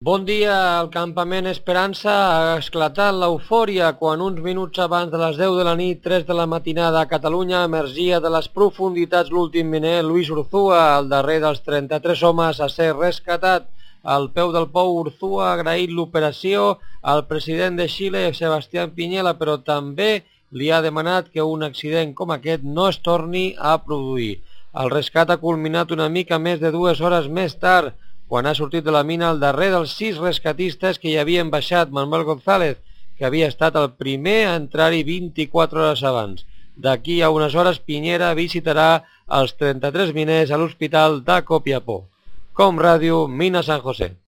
Bon dia, al campament Esperança ha esclatat l'eufòria quan uns minuts abans de les 10 de la nit, 3 de la matinada a Catalunya, emergia de les profunditats l'últim miner Luis Urzúa, el darrer dels 33 homes a ser rescatat. Al peu del pou, Urzúa ha agraït l'operació al president de Xile, Sebastián Piñera, però també li ha demanat que un accident com aquest no es torni a produir. El rescat ha culminat una mica més de 2 hores més tard, quan ha sortit de la mina el darrer dels 6 rescatistes que hi havien baixat, Manuel González, que havia estat el primer a entrar-hi 24 hores abans. D'aquí a unes hores, Piñera visitarà els 33 miners a l'hospital de Copiapó. Com Ràdio, Mina San José.